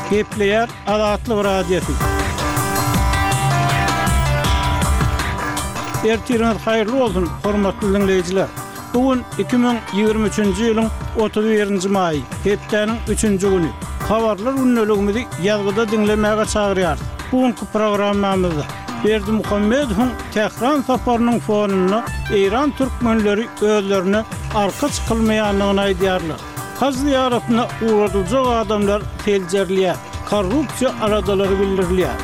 Gepleýär Azatlyk Radiosy. Ertiriňiz haýyrly bolsun, hormatly diňleýjiler! Bu gün 2023-nji ýylyň 31-nji maýy, hepdäniň üçünji güni. Habarlar gündeligimizi ýazgyda diňlemäge çagyrýarys. Bu günki programmamyzda Berdimuhamedowyň Tähran saparynyň fonunda eýran türkmenleri özlerine arka çykylmaýandygyny aýdýarlar. Haj zyýaratyna ugradyljak adamlar seljerilýär, korrupsiýa aladalary bildirilýär.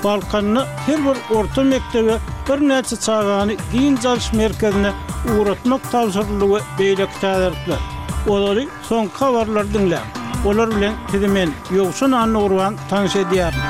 Balkanda her bir orta mekdebe birnäçe çagany dynç alyş merkezine ugratmak tabşyryldy we beýleki täzelikler. Ozaly soňky habarlary diňläň. Olar bilen sizi men, Ýowşan Annagurban tanyş edýärin.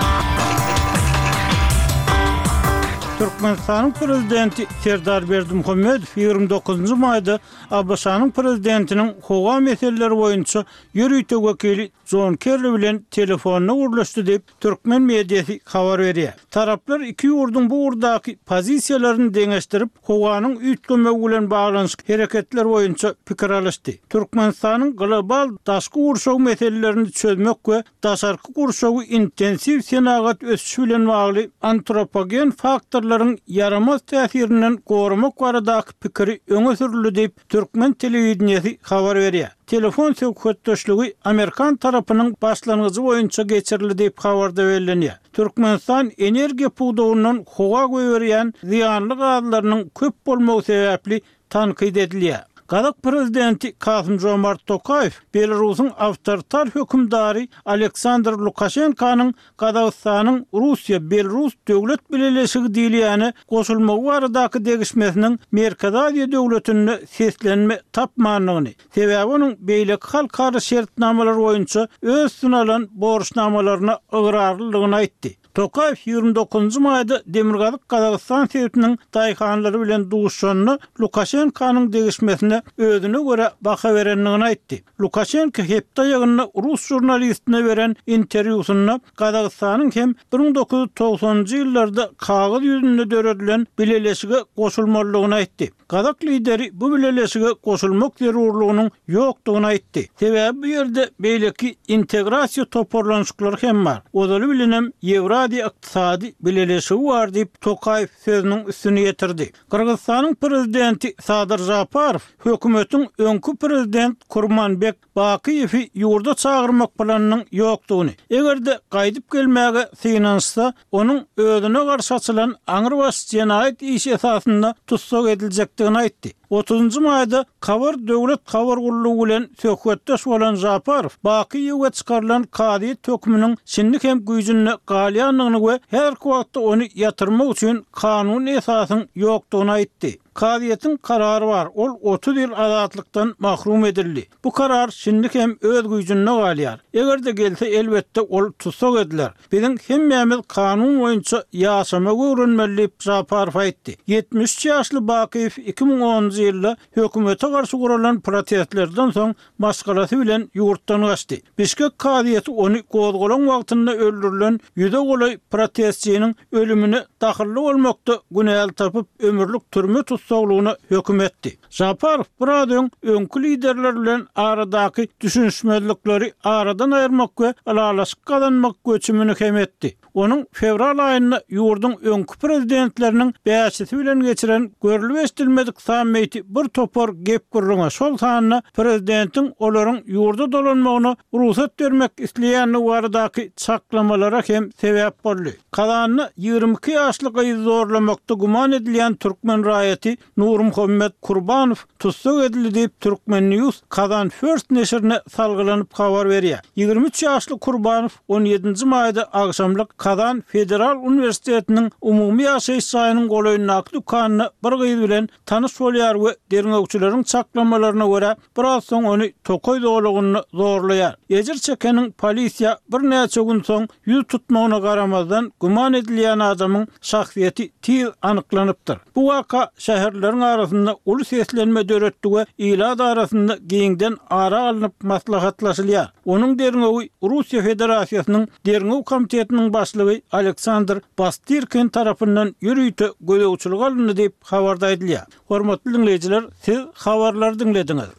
Türkmenistanyň Prezidenti Serdar Berdimuhamedow 29-njy maýda ABŞ-nyň Prezidentiniň howa meseleleri boýunça ýörite wekili Jon Kerri bilen telefonda gürleşdi diýip, türkmen mediasy habar berýär. Taraplar iki ýurduň bu ugurdaky pozisiýalaryny deňeşdirip, howanyň üýtgemegi bilen baglanyşykly hereketler boýunça pikir alyşdy. Türkmenistanyň global daşky gurşaw meselelerini çözmek we daşarky gurşawy intensiw senagat ösüşi bilen bagly antropogen faktorlaryň ýaramaz täsirinden goramak baradaky pikiri öňe sürüldi diýip, türkmen telewideniýesi habar berýär. Telefon söhbetdeşligi amerikan tarapynyň başlangyjy boýunça geçirildi diýip, habarda bellenýär. Türkmenistan energiýa pudagyndan howa goýberýän zyýanly gazlarynyň köp bolmagy sebäpli tankyt edilýär. Gazak prezidenti Kasym-Žomart Tokaýew Belarusyň awtoritar hökümdary Aleksandr Lukaşenkanyň Gazagystanyň Russiýa-Belarus döwlet bileleşigi diýilýäne goşulmagy baradaky degişmesiniň Merkezi Aziýa döwletinde seslenme tapmandygyny, sebäbi onuň beýleki halkara şertnamalar boýunça öz üstüne alan borçnamalaryna ygrarlydygyny aýtdy. Tokaýew 29-njy maýda Demirgazyk Gazagystan sebitiniň daýhanlary bilen duşuşanda Lukaşenkanyň degişmesine özüne görä baha berendigini aýtdy. Lukaşenko hepde aýagynda rus žurnalistine beren interwýusynda Gazagystanyň hem 1990-njy ýyllarda kagyz ýüzünde döredilen bileleşige goşulmalydygyny aýtdy. Gazak lideri bu bileleşige goşulmak zerurlygynyň ýokdugyny aýtdy. Sebäbi bu ýerde beýleki integrasiýa toparlanyşyklary hem bar. Ozaly bilenem Ýewraziýa ykdysady bileleşigi bar diýip, Tokaýew sözüniň üstüni ýetirdi. Gyrgyzystanyň prezidenti Sadyr Žaparow hökümetiň öňki prezident Kurmanbek Bakyýewi ýurda çagyrmak planynyň ýokdugyny, eger-de gaýdyp gelmäge synanyşsa, onuň özüne garşy açylan aňrybaş jenaýat işi esasynda tussag ediljekdigini aýtdy. Otuzynjy maýda Kabar döwlet habar gullugy bilen söhbetdeş bolan Žaparow Bakyýewe çykarylan kazyýet höküminiň şindi hem güýjünde galýandygyny we häzirki wagtda ony ýatyrmak üçin kanuny esasyň ýokdugyny aýtdy. Kazyýetiň karary bar, ol 30 ýyl azatlykdan mahrum edildi. Bu karar şindi hem öz güýjünde galýar. Eger-de gelse, elbetde, ol tussag ediler. Biziň hemmämiz kanun boýunça ýaşamagy öwrenmeli diýip, Žaparow aýtdy. 73 ýaşly Bakyýew 2010-njy ýylda hökümete garşy guralan protestlerden soň maşgalasy bilen ýurtdan gaçdy. Bişkek kazyýeti ony gozgalaň wagtynda öldürilen ýüze golaý protestçiniň ölümine dahylly bolmakda günäli tapyp, ömürlik türme tussaglygyna höküm etdi. Žaparow biraz öň öňki liderler bilen aradaky düşünişmezlikleri aradan aýyrmak we ylalaşyk gazanmak göçümini hem etdi. Onuň fewral aýynda ýurduň öňki prezidentleriniň bäşisi bilen geçiren görlüp-eşidilmedik sammiti bir topar gep-gürrüňe, şol sanda prezidentiň olaryň ýurda dolanmagyna rugsat bermek isleýändigi baradaky çaklamalara hem sebäp boldy. Kazanda 22 ýaşly gyzy zorlamakda güman edilýän türkmen raýaty Nurmuhammet Kurbanow tussag edildi diýip, Turkmen. News Kazan First neşirine salgylanyp habar berýär. 23 ýaşly Kurbanow on ýedinji maýda agşamlyk Kazan federal uniwersitetiniň umumy ýaşaýyş jaýynyň golaýyndaky dükanynda bir gyz bilen tanyş bolýar we derňewçileriň çaklamalaryna görä, biraz soň ony tokaý zolagynda zorlaýar. Ejir çekeniň polisiýa birnäçe gün soň ýüz tutmagyna garamazdan, güman edilýän adamyň şahsyýeti tiz anyklanypdyr. Bu waka şäherlileriň arasynda uly seslenme döretdi we ilat arasynda giňden ara alnyp maslahatlaşylýar. Onuň derňewi Russiýa Federasiýasynyň Derňew komitetiniň başlygy Aleksandr Bastyrkin tarapyndan ýörite gözegçilige alyndy diýip, habarda aýdylýar. Hormatly diňleýjiler, siz habarlary diňlediňiz.